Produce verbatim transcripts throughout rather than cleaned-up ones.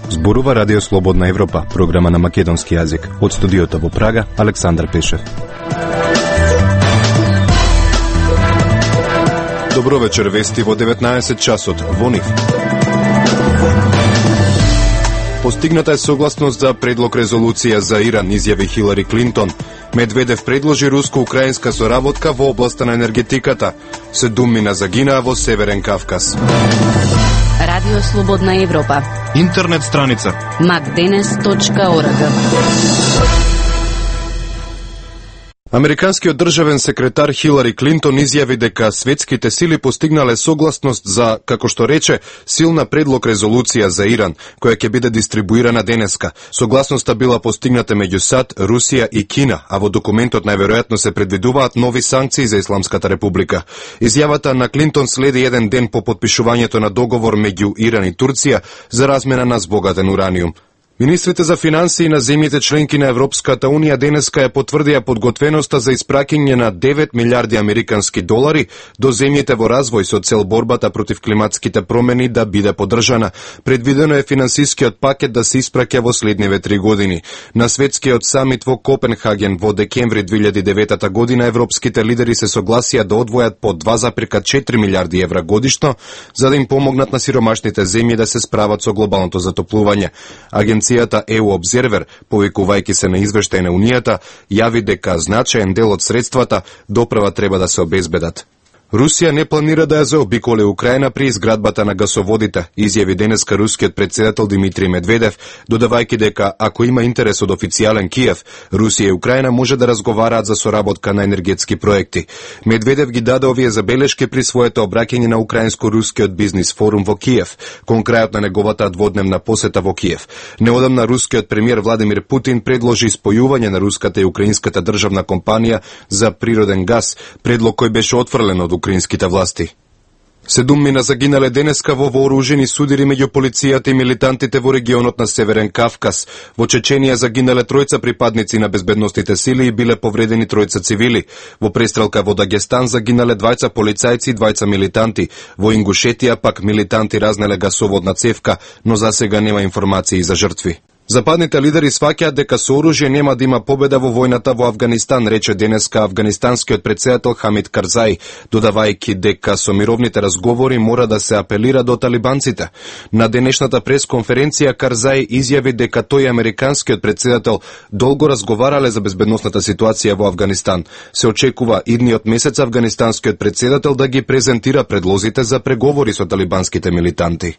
Зборува Радио Слободна Европа, програма на македонски јазик. Од студиото во Прага, Александар Пешев. Добро вечер, вести во деветнаесет часот во НИФ. Постигната е согласност за предлог резолуција за Иран, изјави Хилари Клинтон. Медведев предложи руско-украинска соработка во областа на енергетиката. Седумина загинаа во Северен Кавказ. Радио Слободна Европа. Интернет страница макденес точка орг. Американскиот државен секретар Хилари Клинтон изјави дека светските сили постигнале согласност за, како што рече, силна предлог резолуција за Иран, која ќе биде дистрибуирана денеска. Согласноста била постигната меѓу САД, Русија и Кина, а во документот најверојатно се предвидуваат нови санкции за Исламската република. Изјавата на Клинтон следи еден ден по потпишувањето на договор меѓу Иран и Турција за размена на збогатен ураниум. Министрите за финансии на земјите членки на Европската Унија денеска ја потврдија подготвеноста за испраќање на девет милиарди американски долари до земјите во развој со цел борбата против климатските промени да биде поддржана. Предвидено е финансискиот пакет да се испраќа во следниве три години. На светскиот самит во Копенхаген во декември две илјади и девета година европските лидери се согласија да одвојат по два зарез четири милиарди евра годишно за да им помогнат на сиромашните земји да се справат со глобалното затоплување. Агенцијата Е У Observer, повикувајќи се на извештај на Унијата, јави дека значаен дел од средствата доправа треба да се обезбедат. Русија не планира да ја заобиколи Украина при изградбата на гасоводите, изјави денеска рускиот претседател Димитри Медведев, додавајќи дека ако има интерес од официјален Киев, Русија и Украина може да разговараат за соработка на енергетски проекти. Медведев ги даде овие забелешки при своето обраќање на украинско-рускиот бизнис форум во Киев, кон крајот на неговата дводневна посета во Киев. Неодамна рускиот премиер Владимир Путин предложи спојување на руската и украинската државна компанија за природен газ, предлог кој беше отфрлен од украинските власти. Седумина загинале денеска во вооружени судири меѓу полицијата и милитантите во регионот на Северен Кавказ. Во Чеченија загинале тројца припадници на безбедносните сили и биле повредени тројца цивили. Во престрелка во Дагестан загинале двајца полицајци и двајца милитанти. Во Ингушетија пак милитанти разнеле гасоводна цевка, но засега нема информации за жртви. Западните лидери сваќаат дека со оружје нема да има победа во војната во Авганистан, рече денеска афганистанскиот претседател Хамид Карзаи, додавајќи дека со мировните разговори мора да се апелира до талибанците. На денешната пресконференција Карзаи изјави дека тој и американскиот претседател долго разговарале за безбедносната ситуација во Авганистан. Се очекува идниот месец афганистанскиот претседател да ги презентира предлозите за преговори со талибанските милитанти.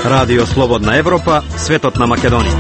Радио Слободна Европа, светот на Македонија.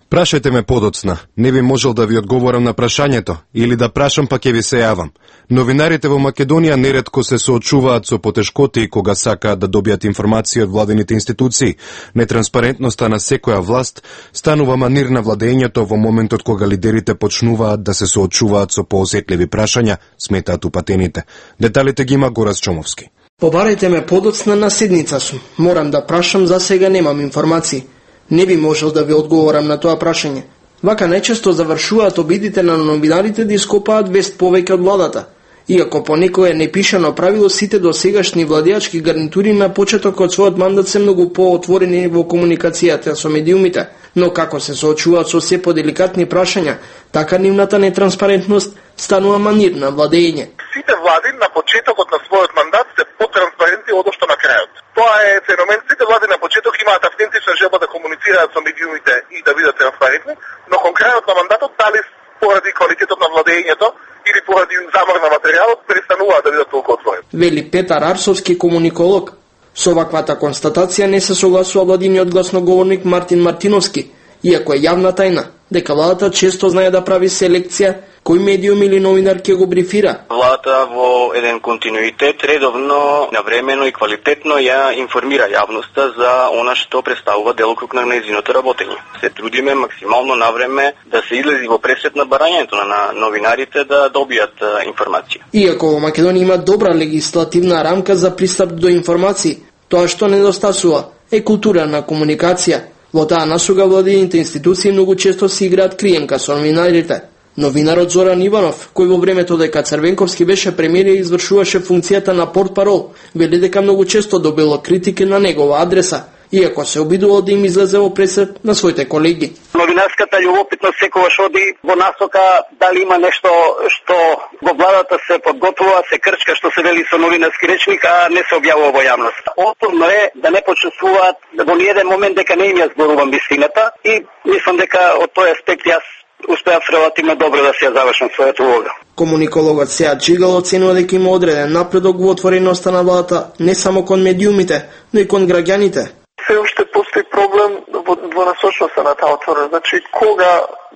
Прашајте ме подоцна. Не би можел да ви одговорам на прашањето, или да прашам па ќе ви се јавам. Новинарите во Македонија неретко се соочуваат со потешкоти кога сакаат да добијат информации од владините институции. Нетранспарентноста на секоја власт станува манир на владењето во моментот кога лидерите почнуваат да се соочуваат со поосетливи прашања, сметаат упатените. Деталите ги има Горас Чомовски. Побарајте ме подоцна на седница сум. Морам да прашам, за сега немам информации. Не би можел да ви одговорам на тоа прашање. Вака најчесто завршуваат обидите на новинарите да ископаат вест повеќе од владата. Иако по некое непишано правило, сите досегашни владеачки гарнитури на почеток од својот мандат се многу поотворени во комуникацијата со медиумите, но како се соочуваат со се поделикатни прашања, така нивната нетранспарентност станува манир на владење. Сите влади на почетокот на својот мандат се потранспарентни одошто на крајот. Тоа е феномен. Сите влади на почеток имаат автентична желба да комуницираат со медиумите и да бидат транспарентни, но кон крајот на мандатот, дали поради квалитетот на владењето или поради замор на материјалот, престануваат да бидат толку отворени. Вели Петар Арсовски, комуниколог. Со ваквата констатација не се согласува владиниот гласноговорник Мартин Мартиновски, иако е јавна тајна дека владата често знае да прави селекција кој медиум или новинар ќе го брифира. Владата во еден континуитет редовно, навремено и квалитетно ја информира јавноста за она што представува делокруг на нејзиното работење. Се трудиме максимално навреме да се излези во пресрет на барањето на новинарите да добијат информација. Иако во Македонија има добра легислативна рамка за пристап до информации, тоа што недостасува е култура на комуникација. Во таа насуга владините институции многу често си играат криенка со новинарите. Новинарот Зоран Иванов, кој во времето дека Црвенковски беше премиер и извршуваше функцијата на портпарол, вели дека многу често добило критики на негова адреса, иако се обидувал да им излезе во пресед на своите колеги. Новинарската љубопитност секогаш оди во насока дали има нешто што во владата се подготвува, се крчка, што се вели со новинарски речник, а не се објавува во јавност. Отпорно е да не почувствуваат во ниеден момент дека не им ја зборувам вистината и мислам дека од тој аспект јас успеав релативно добро да се ја завршам својата улога. Комуникологот Сеат Джигал оценува дека има одреден напредок во отвореноста на владата не само кон медиумите, но и кон граѓаните. Се уште постои проблем во двонасочноста на таа отвореност. Значи, кога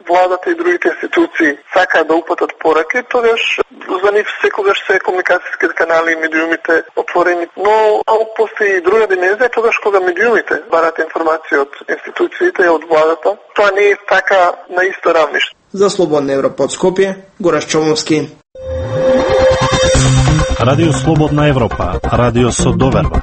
владата и другите институции сакаат да упатат пораки, тогаш за нив секогаш се комуникацијските канали и медиумите отворени. Но ако постои и друга димензија, тогаш кога медиумите барат информација од институциите и од владата, тоа не е така на исто равниште. За Слободна Европа од Скопје, Гораш Чомовски. Радио Слободна Европа, радио со доверба.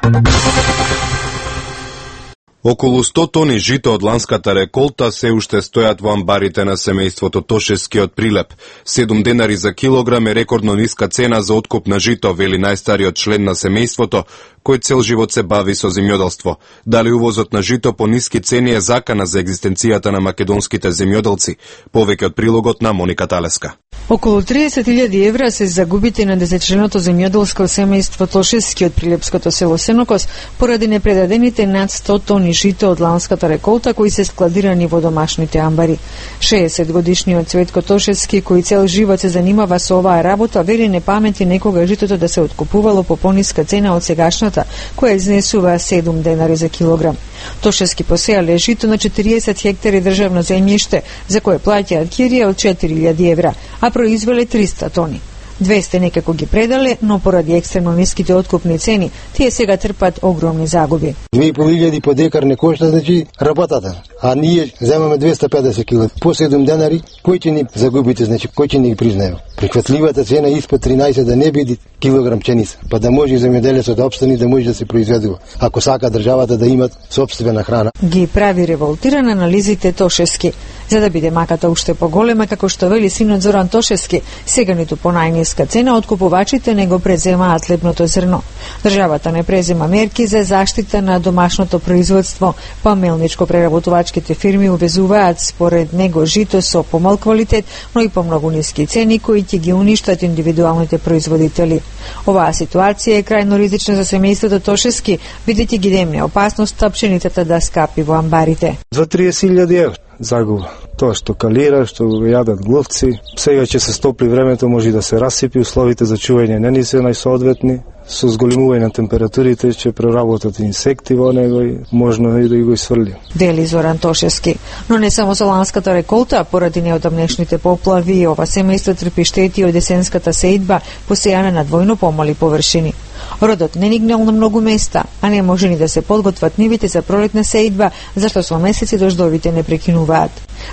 Околу сто тони жито од ланската реколта се уште стојат во амбарите на семејството Тошевски од Прилеп. седум денари за килограм е рекордно ниска цена за откуп на жито, вели најстариот член на семејството, кој цел живот се бави со земјоделство. Дали увозот на жито по ниски цени е закана за екзистенцијата на македонските земјоделци? Повеќе од прилогот на Моника Талеска. Околу триесет илјади евра се загубите на десетчленото земјоделско семејство Тошевски од прилепското село Сенокос поради непредадените над сто тони жито од ланската реколта кои се складирани во домашните амбари. шеесет годишниот Цветко Тошевски, кој цел живот се занимава со оваа работа, вели не памети некога житото да се откупувало по пониска цена од сегашната, која изнесува седум денари за килограм. Тошевски посеале жито на четириесет хектари државно земјиште, за кое плаќаат кирија од четири илјади евра, а произвеле триста тони. двесте некако ги предале, но поради екстремно ниските откупни цени, тие сега трпат огромни загуби. две и пол илјади по декар не кошта, значи работата, а ние земаме двесте и педесет кила. По седум денари, кој ќе ни загубите, значи кој ќе ни ги признае? Прихватливата цена испод тринаесет да не биде килограм пченица, па да може земјоделецот да опстани, да може да се произведува, ако сака државата да имат сопствена храна. Ги прави револтиран анализите Тошевски. За да биде маката уште поголема, како што вели синот Зоран Тошевски, сега ниту по најниска цена откупувачите не го преземаат лебното зрно. Државата не презема мерки за заштита на домашното производство, па мелничко-преработувачките фирми увезуваат според него жито со помал квалитет, но и по многу ниски цени кои ќе ги уништат индивидуалните производители. Оваа ситуација е крајно ризична за семејството Тошевски, бидејќи ги демне опасноста пшеницата да скапи во амбарите. За триесет илјади евра загуба. Тоа што калира, што јадат глувци, сега ќе се стопли времето, може да се расипи, условите за чување не ни се најсоодветни, со зголемување на температурите ќе проработат инсекти во него и можно и да го сврли. Вели Зоран Тошевски. Но не само со ланската реколта, поради неодамнешните поплави, ова семејство трпи штети од есенската сеидба, посејана на двојно помали површини. Родот не нигнал на многу места, а не може ни да се подготват нивите за пролетна сеидба, зашто со месеци дождовите не прекинуваат.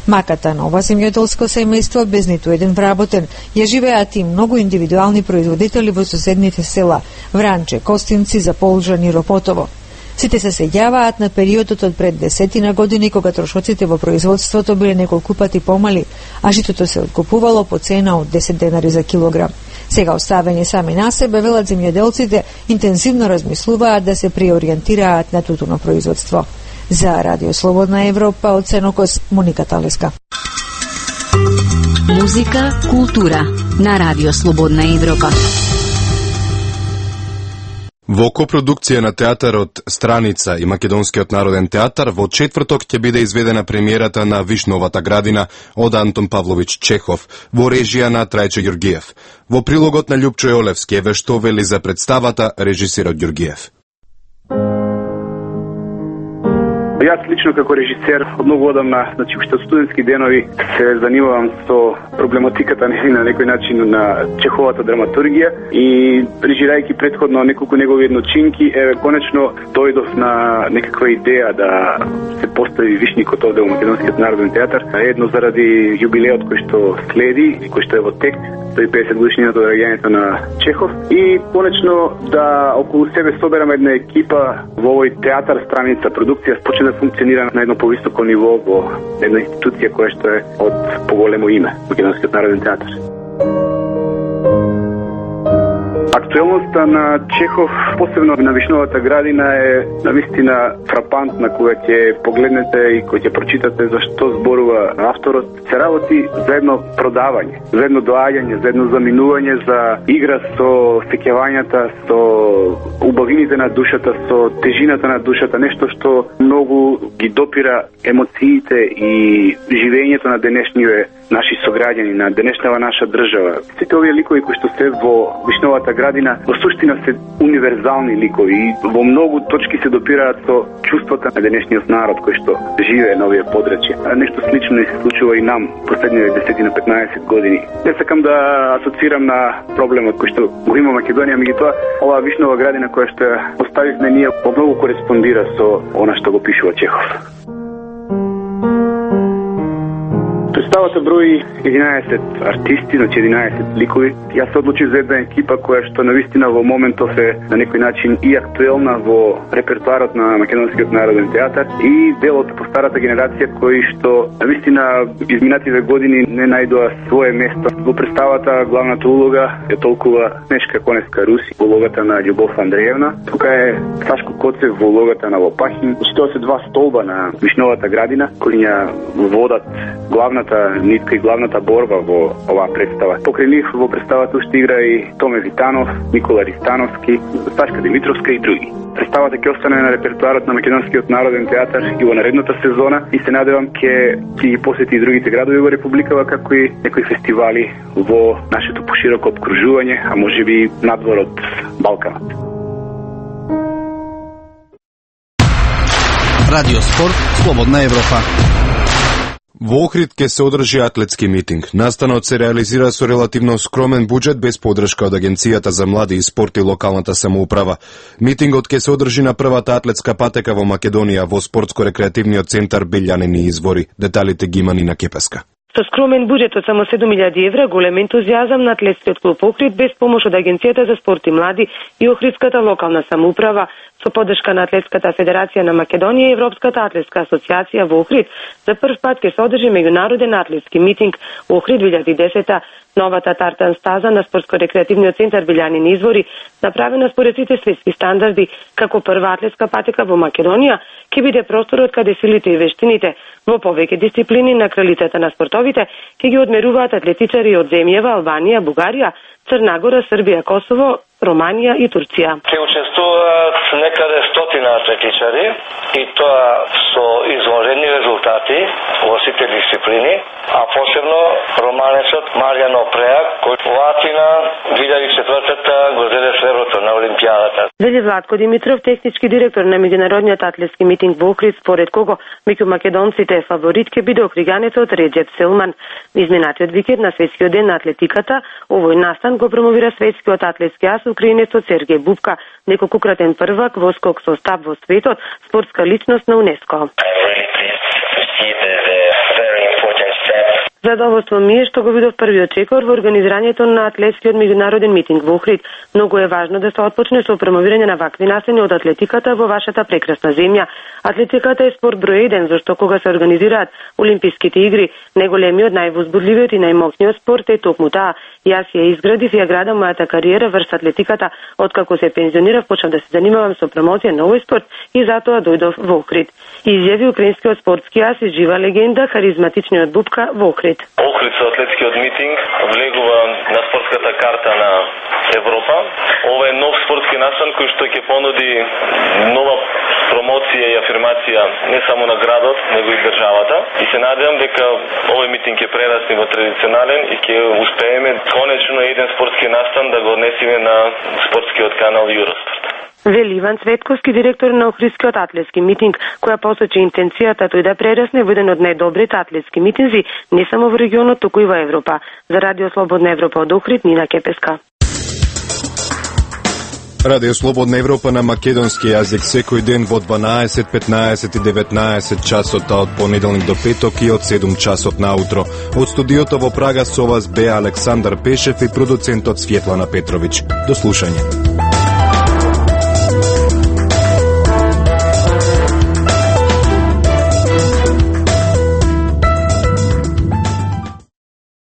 Маката на ова земјоделско семејство без ниту еден вработен, ја живеат и многу индивидуални производители во соседните села Вранче, Костинци, Заполжан и Ропотово. Сите се сеќаваат на периодот од пред десетина години, кога трошоците во производството биле неколку пати помали, а житото се откупувало по цена од десет денари за килограм. Сега оставени сами на себе, велат земјоделците, интензивно размислуваат да се преориентираат на тутуно производство. За Радио Слободна Европа од Сенокос, Моника Талеска. Музика, култура на Радио Слободна Европа. Во копродукција на театарот Страница и Македонскиот народен театар во четврток ќе биде изведена премиерата на Вишновата градина од Антон Павлович Чехов во режија на Трајче Ѓургиев. Во прилогот на Љупчо Јолевски еве што вели за представата режисерот Ѓургиев. Јас лично како режисер од многу одамна, значи уште од студентски денови се занимавам со проблематиката на некој начин на Чеховата драматургија и режирајќи претходно неколку негови едночинки, еве конечно дојдов на некаква идеја да се постави вишникот овде во Македонскиот народен театар, едно заради јубилеот кој што следи и кој што е во тек сто и педесет годишнината од раѓањето на Чехов и конечно да околу себе собераме една екипа во овој театар, страница, продукција почне да функционира на едно повисоко ниво во една институција која што е од поголемо име, Македонскиот народен театар. Актуелноста на Чехов, посебно на Вишновата градина, е навистина фрапантна кога ќе погледнете и кога ќе прочитате за што зборува авторот. Се работи за едно продавање, за едно доаѓање, за едно заминување, за игра со сеќавањата, со убавините на душата, со тежината на душата, нешто што многу ги допира емоциите и живењето на денешниве наши сограѓани, на денешнава наша држава. Сите овие ликови кои што се во Вишновата градина во суштина се универзални ликови и во многу точки се допираат со чувствата на денешниот народ кој што живее на овие подрачја. Нешто слично не се случува и нам последниве десет на петнаесет години. Не сакам да асоцирам на проблемот кој што го има Македонија, меѓутоа оваа Вишнова градина која што оставивме ние во многу кореспондира со она што го пишува Чехов. Представата брои единаесет артисти, значи единаесет ликови. Јас се одлучив за една екипа која што навистина во моментов е на некој начин и актуелна во репертоарот на Македонскиот народен театар и дел од постарата генерација кои што навистина изминативе години не најдоа свое место. Во представата главната улога е толкува Снежка Коневска Руси во улогата на Љубов Андреевна. Тука е Сашко Коцев во улогата на Лопахин. Тоа се два столба на Вишновата градина кои ја водат главната нитка и главната борба во оваа представа. Покрај нив во представата уште игра и Томе Витанов, Никола Ристановски, Сташка Димитровска и други. Представата ќе остане на репертоарот на Македонскиот народен театар и во наредната сезона и се надевам ќе ќе ги посети и другите градови во Републикава, како и некои фестивали во нашето пошироко обкружување, а можеби надвор од Балканот. Радио Спорт, Слободна Европа. Во Охрид ќе се одржи атлетски митинг. Настанот се реализира со релативно скромен буџет без поддршка од Агенцијата за млади и спорт и локалната самоуправа. Митингот ќе се одржи на првата атлетска патека во Македонија во спортско-рекреативниот центар Белјанини извори. Деталите ги има Нина Кепеска. Со скромен буџет од само седум илјади евра, голем ентузијазам на атлетскиот клуб Охрид без помош од Агенцијата за спорт и млади и Охридската локална самоуправа, со поддршка на Атлетската федерација на Македонија и Европската атлетска асоциација во Охрид, за прв пат ќе се одржи меѓународен атлетски митинг во Охрид две илјади и десета. Новата тартан стаза на спортско-рекреативниот центар Белјанини извори, направена според сите светски стандарди, како прва атлетска патека во Македонија, ќе биде просторот каде силите и вештините во повеќе дисциплини на кралицата на спортовите ќе ги одмеруваат атлетичари од земјава Албанија, Бугарија, Црна Гора, Србија, Косово, Романија и Турција. Ќе учествуваат некаде стотина атлетичари и тоа со извонредни резултати во сите дисциплини, а посебно романецот Маријано Преак, кој во Атина две илјади и четвртата го зеде среброто на Олимпијадата. Вели Владко Димитров, технички директор на меѓународниот атлетски митинг во Охрид, според кого меѓу македонците фаворит ќе биде охриганецот Реджеп Селман. Изминатиот викенд на светскиот ден на атлетиката, овој настан го промовира светскиот атлетски ас украинецот Сергеј Бубка, неколкократен првак во скок со стап во светот, спортска личност на УНЕСКО. Задоволство ми е што го видов првиот чекор во организирањето на атлетскиот меѓународен митинг во Охрид. Многу е важно да се отпочне со промовирање на вакви настани од атлетиката во вашата прекрасна земја. Атлетиката е спорт број еден, зашто кога се организираат Олимписките игри, најголемиот, највозбудливиот и најмоќниот спорт е токму таа. Јас ја изградив и ја градам мојата кариера врз атлетиката. Откако се пензионирав, почнав да се занимавам со промоција на овој спорт и затоа дојдов во Охрид. Изјави украинскиот спортски ас и жива легенда, харизматичниот Бубка во Охрид. Охрид со атлетскиот митинг влегува на спортската карта на Европа. Ова е нов спортски настан кој што ќе понуди нова промоција и афирмација не само на градот, него и државата. И се надевам дека овој митинг ќе прерасне во традиционален и ќе успееме конечно еден спортски настан да го однесеме на спортскиот канал Юроспорт. Вели Иван Цветковски, директор на Охридскиот атлетски митинг, која посочи интенцијата тој да прерасне во еден од најдобрите атлетски митинзи не само во регионот, туку и во Европа. За Радио Слободна Европа од Охрид, Нина Кепеска. Радио Слободна Европа на македонски јазик секој ден во дванаесет, петнаесет и деветнаесет часот, а од понеделник до петок и од седум часот наутро. Од студиото во Прага со вас беа Александар Пешев и продуцентот Светлана Петровиќ. До слушање.